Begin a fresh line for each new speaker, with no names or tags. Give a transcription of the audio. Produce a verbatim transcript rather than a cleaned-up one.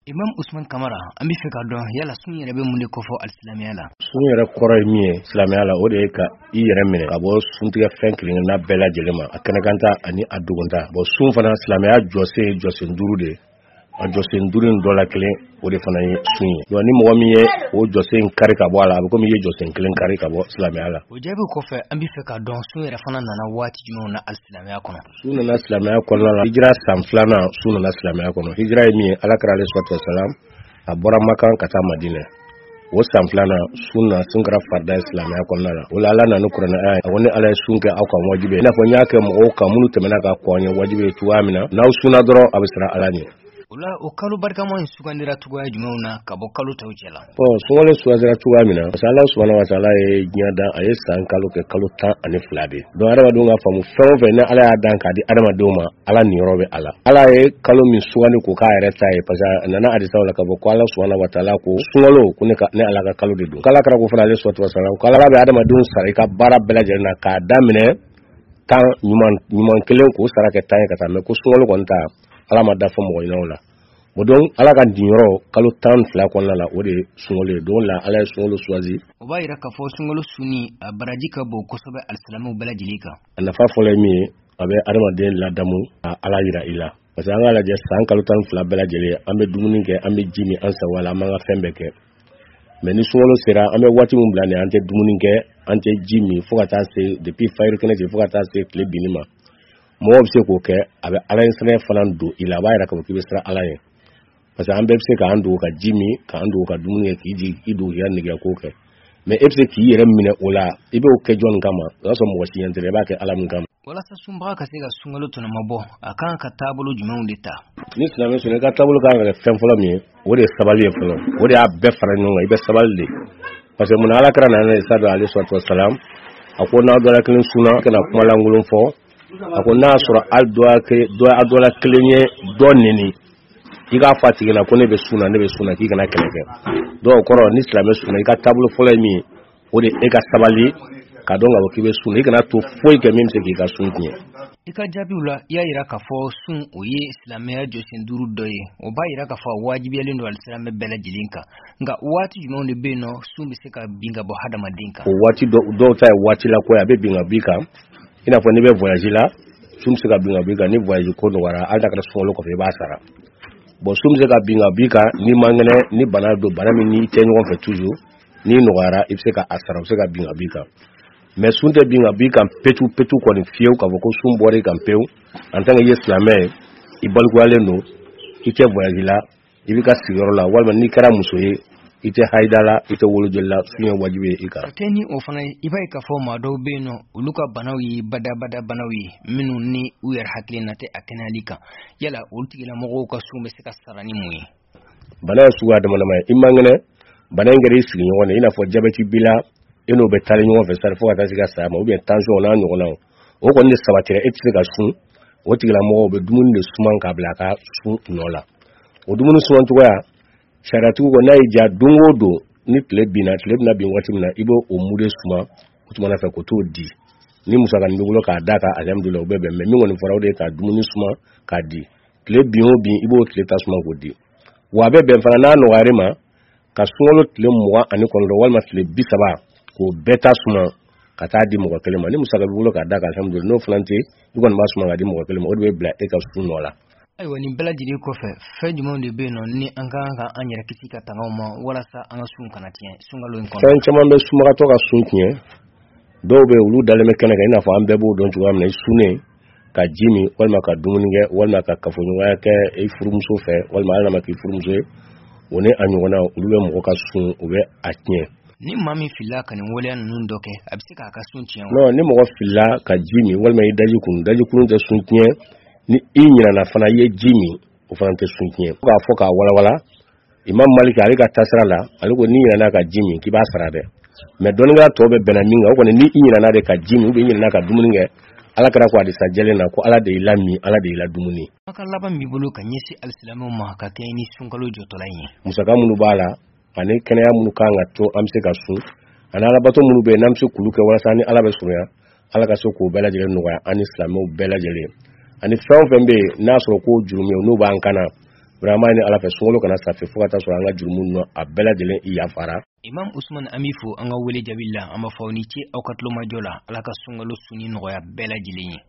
Imam Usman Kamara, an bɛ fɛ ka dɔn yala sun yɛrɛ bɛ mun de kofɔ alisilamɛya la?
Sun yɛrɛ kɔrɔ ye min ye silamɛya la, o de ye ka i yɛrɛ minɛ ka bɔ suntigɛ fɛn kelenkelenna bɛɛ lajɛlen ma, a kɛnɛkanta ani a dogonta. Bon, sun fana silamɛya jɔsen ye jɔsen duuru de ye. A jɔsen duuru in dɔ la kelen, o de fana ye sun ye. Donc ni mɔgɔ min ye o jɔsen kari ka bɔ a la, a bɛ komi i ye jɔsen kelen kari ka bɔ silamɛya la.
O jaabi kɔfɛ, an bɛ fɛ ka dɔn sun yɛrɛ fana nana waati jumɛnw na alisilamɛya kɔnɔ?
Sun nana silamɛya kɔnɔna la hijira san filanan. Sun nana silamɛya kɔnɔ, hijira ye min ye, Ala kira alayhi salatu wasalam a bɔra Makan ka taa Madinɛ, o san filanan sun na, sun kɛra farida ye silamɛya kɔnɔna la. O la Ala nana ni kuranɛ aya ye, a ko ni Ala ye sun kɛ aw kan wajibi ye, i n'a fɔ n y'a kɛ mɔgɔw kan minnu tɛmɛna ka kɔn ye wajibi ye cogoya min na, n'aw sunna dɔrɔn a bɛ siran Ala ɲɛ.
O la, o kalo barikama in sugandira cogoya jumɛnw na ka bɔ kalo tɔw cɛ la?
Bon, sunkalo sugandira cogoya min na, parce que Ala subahana wa taala ye diɲɛ dan, a ye san kalo kɛ kalo tan ani fila de. Donc adamadenw ka faamu, fɛn o fɛn ni Ala y'a dan k'a di adamadenw ma, Ala niyɔrɔ bɛ a la. Ala ye kalo min sugandi k'o k'a yɛrɛ ta ye, parce que a nana hadisaw la k'a fɔ ko Ala subahana wa taala ko sunkalo ko ne ka ne Ala ka kalo de don. K'Ala kira ko fana alayhi salatu wasalam ko Ala bɛ adamadenw sara i ka baara bɛɛ lajɛlen na k'a daminɛ tan ɲuman ɲuman kelen k'o sara kɛ tan ye ka taa, mɛ ko sunkalo kɔni ta Ala ma da fɔ mɔgɔ ɲɛna o la. O donc Ala ka dinyɔrɔ kalo tan ni fila kɔnɔna la, o de ye sunkalo ye. Donc la Ala ye sunkalo choisi.
O b'a yira k'a fɔ sunkalo sunni a baraji ka bon kosɛbɛ alisilamɛw bɛɛ lajɛlen kan.
A nafa fɔlɔ ye min ye, a bɛ adamaden ladamu ka Ala yira i la, parce que an k'a lajɛ, san kalo tan ni fila bɛɛ lajɛlen an bɛ dumuni kɛ, an bɛ ji min an sago la, an b'an ka fɛn bɛɛ kɛ. Mɛ ni sunkalo sera, an bɛ waati min bila nin, an tɛ dumuni kɛ, an tɛ ji min, fo ka taa se depuis fajiri kɛnɛ cɛ fo ka taa se tile binni ma. Mɔgɔw bɛ se k'o kɛ, a bɛ Ala ɲɛsiranɲɛ fana don i la, a b'a yira k'a fɔ k'i bɛ siran Ala ɲɛ, parce que an bɛɛ bɛ se k'an dogo ka ji min, k'an dogo ka dumuni kɛ, k'i jigin i dogo k'i ka nɛgɛ ko kɛ, mɛ e bɛ se k'i yɛrɛ minɛ o la, i b'o kɛ jɔnni kama? O y'a sɔrɔ mɔgɔ si ɲɛ tɛ, i b'a kɛ Ala min kama.
Walasa sunbaga ka se ka sunkalo tɔnɔmabɔ, a kan ka taabolo jumɛnw de ta?
Ni silamɛ sɔnna, i ka taabolo kan ka kɛ fɛn fɔlɔ min ye, o de ye sabali ye fɔlɔ. O de y'a bɛɛ fara ɲɔgɔn kan, i bɛ sabali de, parce que munna Ala kira nana isa don alayhi salatu wasalam, a ko n'aw dɔ la kelen sunna, kana kuma lankolon fɔ. A ko n'a y'a sɔrɔ hali dɔ la kelen ye dɔ neni, i k'a fɔ a tigi la ko ne bɛ sun na, ne bɛ sun na, k'i kana kɛlɛ kɛ. Donc o kɔrɔ, ni silamɛ sunna, i ka taabolo fɔlɔ ye min ye, o de e ka sabali ka dɔn k'a fɔ k'i bɛ sun, i kana to foyi kɛ min bɛ se k'i ka sun tiɲɛ.
I ka jaabiw la, i y'a yira k'a fɔ sun o ye silamɛya jɔsen duuru dɔ ye. O b'a yira k'a fɔ a wajibiyalen don alisilamɛ bɛɛ lajɛlen kan. Nka waati jumɛnw de bɛ yen nɔ sun bɛ se ka bin ka bɔ hadamaden kan?
O waati dɔw ta ye waati la ko ye, a bɛ bin ka b'i kan, i n'a fɔ n'i bɛ voyage la, sun bɛ se ka bin ka b'i kan. Ni voyage ko nɔgɔyara, hali n'a kɛra sunkalo kɔfɛ, i b'a sara. Bon, sun bɛ se ka bin ka b'i kan n'i man kɛnɛ, ni bana don, bana min n'i tɛ ɲɔgɔn fɛ toujours, n'i nɔgɔyara i bɛ se ka a sara, o bɛ se ka bin ka b'i kan. Mɛ sun tɛ bin ka b'i kan petu petu kɔni fiyewu, k'a fɔ ko sun bɔra i kan pewu. En tant que i ye silamɛ ye, i balikuyalen don, i tɛ voyage la, i b'i ka sigiyɔrɔ la, walima n'i kɛra muso ye, i tɛ hayida la, i tɛ wolojoli la, sun ye wajibi ye i kan.
Ka kɛ ni o fana ye, i b'a ye k'a fɔ maa dɔw bɛ yen nɔ, olu ka banaw ye badabada banaw ye minnu ni u yɛrɛ hakilina tɛ a kɛnɛyali kan. Yala olu tigilamɔgɔw ka sun bɛ se ka sara ni mun ye?
Bana ye suguya dama dama ye. I man kɛnɛ, bana in kɛra i sigiɲɔgɔn de, i n'a fɔ jabɛti b'i la, e n'o bɛ taali ɲɔgɔn fɛ sari fo ka taa se ka saya ma, ou bien tension n'a ɲɔgɔnnaw, o kɔni de sabatira, e tɛ se ka sun. O tigilamɔgɔw bɛ dumuni de suman k'a bila a ka sun nɔ la. O dumuni suman cogoya, sariyatigiw ko n'a y'i diya, don o don ni tile binna, tile bɛna bin waati min na, i b'o o mude suma o tuma fɛ k'o t'o di. Ni musakanin b'i bolo k'a d'a kan, alihamudulilayi, o bɛ bɛn. Mɛ min kɔni fɔra, o de ye ka dumuni suma k'a di. Tile bin o bin, i b'o tile ta suma k'o di. Wa a bɛ bɛn fana n'a nɔgɔyara ma ka sunkalo tile mugan ani kɔnɔntɔn walima tile bi saba k'o bɛɛ ta suma ka taa di mɔgɔ kelen ma. Ni musaka b'i bolo k'a d'a kan, alihamudulilayi. N'o fana tɛ, i kɔni b'a suma k'a di mɔgɔ kelen ma, o de bɛ bila e ka sun nɔ la.
Ayiwa, nin bɛɛ lajɛlen kɔfɛ, fɛn jumɛnw de bɛ yen nɔ ni an ka kan ka an yɛrɛ kisi ka tanga o ma walasa an ka sun kana tiɲɛ sunkalo in kɔnɔ?
Fɛn caman bɛ sunbagatɔ ka sun tiɲɛ. Dɔw bɛ yen, olu dalen bɛ kɛnɛ kan, i n'a fɔ an bɛɛ b'o dɔn cogoya min na, i sunnen ka ji min walima ka dumuni kɛ walima ka kafoɲɔgɔnya kɛ i furumuso fɛ, walima hali n'a ma k'i furumuso ye, o ni a ɲɔgɔnna, olu bɛ mɔgɔ ka sun, u bɛ a tiɲɛ.
Ni maa min filila ka nin waleya ninnu dɔ kɛ, a bɛ se k'a ka sun tiɲɛ wa?
Non, ni mɔgɔ filila ka ji min walima i daji kunu, daji kunu tɛ sun tiɲɛ. Ni i ɲinana fana i ye ji min, o fana tɛ sun tiɲɛ. K'a fɔ k'a walawala, Imam Malik ale ka taasira la, ale ko n'i ɲinana ka ji min, k'i b'a sara dɛ. Mɛ dɔnnikɛla tɔw bɛ bɛnna min kan, o kɔni, ni i ɲinana de ka ji min ou bien i ɲinana ka dumuni kɛ, Ala kɛra ko hadisa jɛlen na ko Ala de y'i lamin, Ala de y'i la dumuni.
Kumakan laban b'i bolo ka ɲɛsin alisilamɛw ma ka kɛɲɛ ni sunkalo jɔtɔla in ye?
Musaka minnu b'a la ani kɛnɛya minnu kan ka to an bɛ se ka sun, ani alabato minnu bɛ yen n'an bɛ se k'olu kɛ walasa ni Ala bɛ surunya, Ala ka se k'o bɛɛ lajɛlen nɔgɔya an ni silamɛw bɛɛ lajɛlen. Ani fɛn o fɛn bɛ yen n'a sɔrɔ ko jurumu n'o b'an kan na, Vraiment an b'a ɲini Ala fɛ sunkalo kana sa fiyewu fo ka taa sɔrɔ an ka jurumu ninnu a bɛɛ lajɛlen yafara.
Imam Usman, an b'i fo an ka wele jaabi la. An b'a fɔ aw ni ce aw ka tulomajɔ la. Ala ka sunkalo sunni nɔgɔya bɛɛ lajɛlen ye.